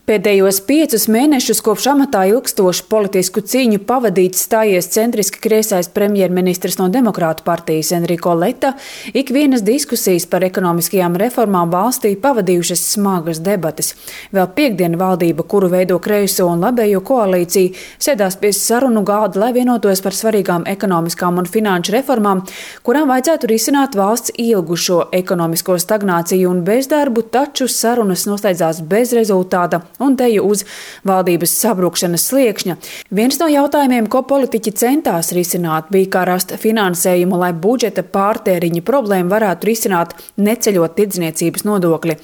Pēdējos 5 mēnešus kopš amatā ilgstošu politisku cīņu pavadīts stājies centriski kreisais premjerministrs no Demokrātu partijas Enrico Letta, ikvienas diskusijas par ekonomiskajām reformām valstī pavadījušas smagas debates. Vēl piektdien valdība, kuru veido kreiso un labējo koalīciju, sēdās pie sarunu galda, lai vienotos par svarīgām ekonomiskām un finanšu reformām, kurām vajadzētu risināt valsts ilgušo ekonomisko stagnāciju un bezdarbu, taču sarunas noslēdzās bez rezultāta un teju uz valdības sabrukšanas sliekšņa. Viens no jautājumiem, ko politiķi centās risināt, bija, kā rast finansējumu, lai budžeta pārtēriņa problēmu varētu risināt, neceļot tirdzniecības nodokli.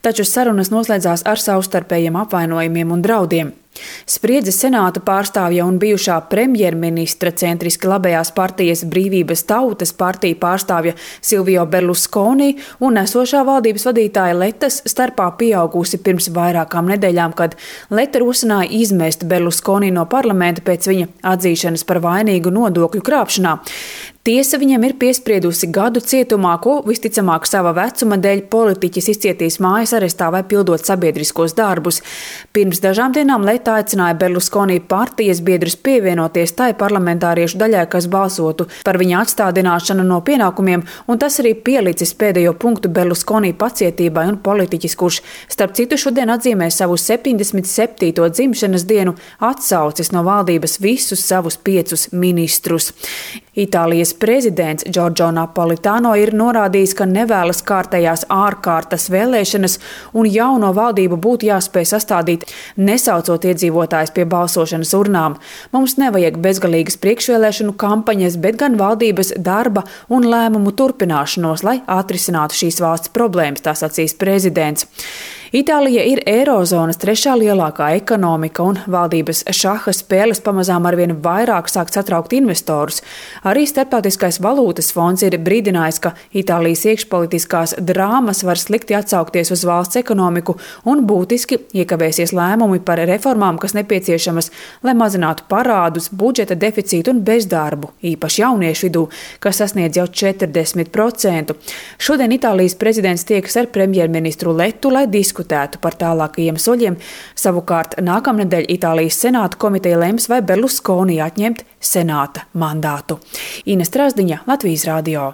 Taču sarunas noslēdzās ar savstarpējiem apvainojumiem un draudiem. Spriedze Senāta pārstāvja un bijušā premjerministra centriski labējās partijas Brīvības tautas partija pārstāvja Silvio Berlusconi un esošā valdības vadītāja Lettas starpā pieaugusi pirms vairākām nedēļām, kad Letta rosināja izmest Berlusconi no parlamenta pēc viņa atzīšanas par vainīgu nodokļu krāpšanā. Tiesa viņam ir piespriedusi gadu cietumā, ko visticamāk sava vecuma dēļ politiķis izcietīs mājas arestā vai pildot sabiedriskos darbus. Pirms dažām dienām Letta aicināja Berlusconi partijas biedrus pievienoties tai parlamentāriešu daļai, kas balsotu par viņa atstādināšanu no pienākumiem, un tas arī pielicis pēdējo punktu Berlusconi pacietībai un politiķis, kurš, starp citu, šodien atzīmē savu 77. dzimšanas dienu, atsaucis no valdības visus savus 5 ministrus. Itālijas prezidents Giorgio Napolitano ir norādījis, ka nevēlas kārtējās ārkārtas vēlēšanas un jauno valdību būtu jāspēj sastādīt, nesaucot iedzīvotājus pie balsošanas urnām. Mums nevajag bezgalīgas priekšvēlēšanu kampaņas, bet gan valdības darba un lēmumu turpināšanos, lai atrisinātu šīs valsts problēmas, tā sacīs prezidents. Itālija ir eirozonas 3. lielākā ekonomika, un valdības šaha spēles pamazām arvien vairāk sāk satraukt investorus. Arī Starptautiskais valūtas fonds ir brīdinājis, ka Itālijas iekšpolitiskās drāmas var slikti atsaukties uz valsts ekonomiku un būtiski iekavēsies lēmumi par reformām, kas nepieciešamas, lai mazinātu parādus, budžeta deficītu un bezdarbu, īpaši jauniešu vidū, kas sasniedz jau 40%. Šodien Itālijas prezidents tiekas ar premjerministru Lettu, lai diskutētu par tālākajiem soļiem. Savukārt nākamnedēļ Itālijas Senāta komiteja lems, vai Berlusconi atņemt Senāta mandātu. Ines Trasdiņa, Latvijas radio.